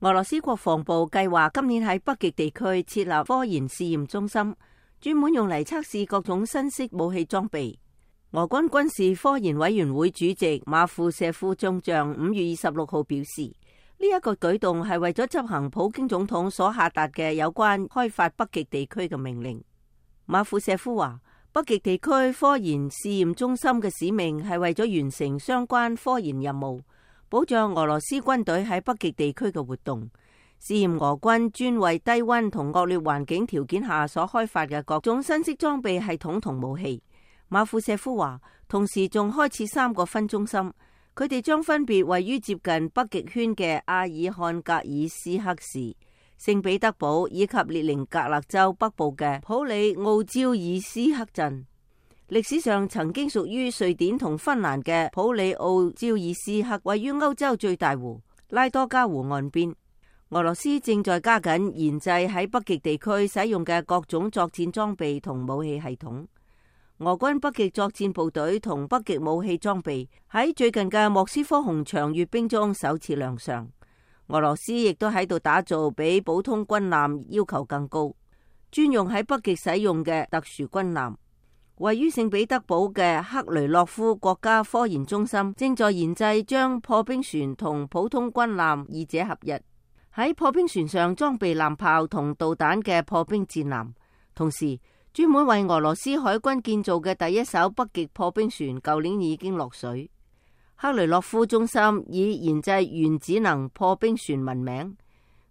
俄羅斯國防部計劃今年喺北極地區設立科研試驗中心，專門用嚟測試各種新式武器裝備。俄軍軍事科研委員會主席馬庫舍夫中將5月26號表示，呢一個舉動係為咗執行普京總統所下達嘅有關開發北極地區嘅命令。馬庫舍夫話，北極地區科研試驗中心嘅使命係為咗完成相關科研任務，保障俄羅斯軍隊喺北極地區嘅活動，試驗俄軍專為低溫同惡劣環境條件下所開發嘅各種新式裝備系統同武器。馬庫舍夫話，同時仲開設3個分中心，佢哋將分別位於接近北極圈嘅阿爾漢格爾斯克市、聖彼得堡以及列寧格勒州北部嘅普里奧焦爾斯克鎮。歷史上曾經屬於瑞典同芬蘭嘅普里奧焦爾斯克位於歐洲最大湖拉多加湖岸邊。俄羅斯正在加緊研製喺北極地區使用嘅各種作戰裝備同武器系統。俄軍北極作戰部隊同北極武器裝備喺最近嘅莫斯科紅場閱兵中首次亮相。俄羅斯亦都喺度打造比普通軍艦要求更高、專用喺北極使用嘅特殊軍艦。位於聖彼得堡嘅克雷洛夫國家科研中心正在研製將破冰船同普通軍艦二者合一，喺破冰船上裝備艦炮同導彈嘅破冰戰艦。同時，專門為俄羅斯海軍建造嘅第一艘北極破冰船舊年已經落水。克雷洛夫中心以研製原子能破冰船聞名，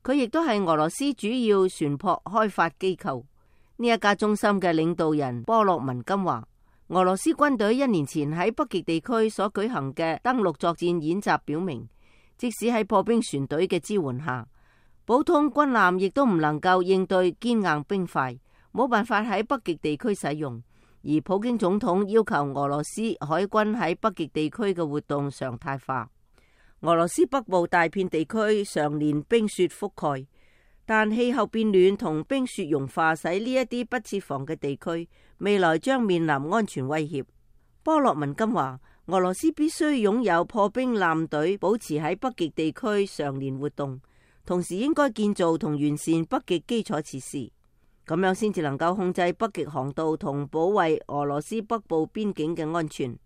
佢亦都係俄羅斯主要船舶開發機構。呢一家中心嘅領導人波洛文金話，俄羅斯軍隊1年前喺北極地區所舉行嘅登陸作戰演習表明，即使喺破冰船隊嘅支援下，普通軍艦亦都唔能夠應對堅硬冰塊，冇辦法喺北極地區使用。而普京總統要求俄羅斯海軍喺北極地區嘅活動常態化。俄羅斯北部大片地區常年冰雪覆蓋，但氣候變暖同冰雪融化使呢一啲不設防嘅地區未來將面臨安全威脅。波洛文金話，俄羅斯必須擁有破冰艦隊，保持喺北極地區常年活動，同時應該建造同完善北極基礎設施。咁樣先至能夠控制北極航道同保衛俄羅斯北部邊境嘅安全。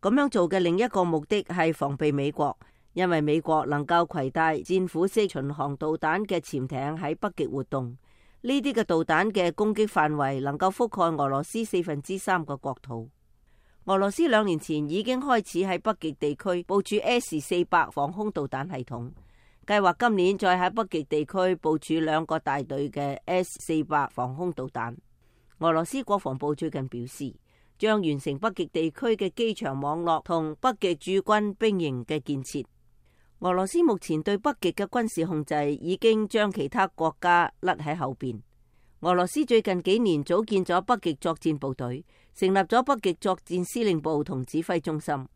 咁樣做嘅另一個目的係防備美國，因為美國能夠攜帶戰斧式巡航導彈嘅潛艇喺北極活動。呢啲嘅導彈嘅攻擊範圍能夠覆蓋俄羅斯3/4個國土。俄羅斯2年前已經開始喺北極地區部署 S-400防空導彈系統，計劃今年再喺北極地區部署2個大隊嘅 S-400防空導彈。俄羅斯國防部最近表示，將完成北極地區嘅機場網絡同北極駐軍兵營嘅建設。俄羅斯目前對北極嘅軍事控制已經將其他國家甩喺後邊。俄羅斯最近幾年組建咗北極作戰部隊，成立咗北極作戰司令部同指揮中心，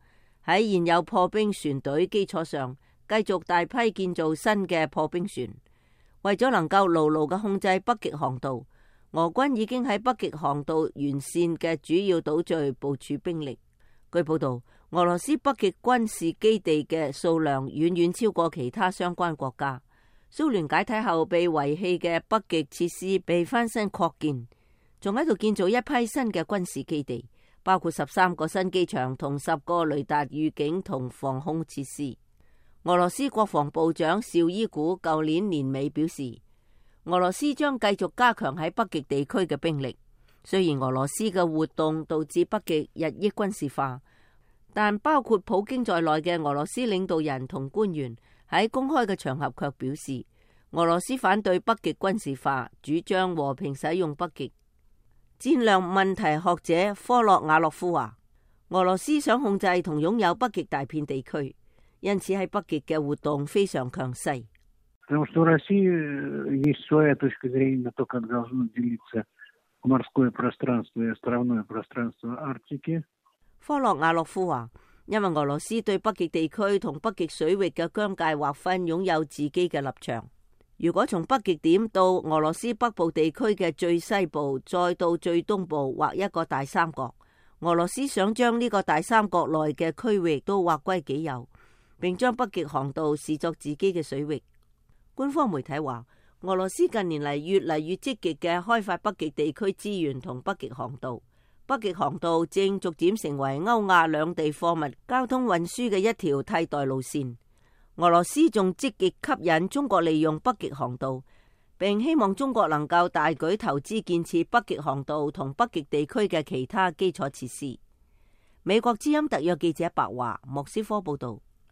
喺現有破冰船隊基礎上，繼續大批建造新嘅破冰船。為咗能夠牢牢嘅控制北極航道，俄軍已經喺北極航道沿線嘅主要島嶼部署兵力。據報道，俄羅斯北極軍事基地嘅數量遠遠超過其他相關國家。蘇聯解體後被遺棄嘅北極設施被翻新擴建，仲喺度建造一批新嘅軍事基地，包括13個新機場同10個雷達預警同防空設施。俄羅斯國防部長紹伊古舊年年尾表示，俄羅斯將繼續加強喺北極地區嘅兵力。雖然俄羅斯嘅活動導致北極日益軍事化，但包括普京在內嘅俄羅斯領導人同官員喺公開嘅場合卻表示，俄羅斯反對北極軍事化，主張和平使用北極。戰略問題學者科洛瓦洛夫話，俄羅斯想控制同擁有北極大片地區，因此喺北極嘅活動非常強勢。科洛瓦洛夫話，因為俄羅斯對北極地區同北極水域嘅疆界劃分擁有自己嘅立場。如果從北極點到俄羅斯北部地區嘅最西部，再到最東部畫一個大三角，俄羅斯想將呢個大三角內嘅區域都劃歸己有，並將北極航道視作自己嘅水域。官方媒體話，俄羅斯近年嚟越嚟越積極嘅開發北極地區資源同北極航道。北極航道正逐漸成為歐亞兩地貨物交通運輸嘅一條替代路線。俄羅斯仲積極吸引中國利用北極航道，並希望中國能夠大舉投資建設北極航道同北極地區嘅其他基礎設施。美國之音特約記者白華莫斯科報道。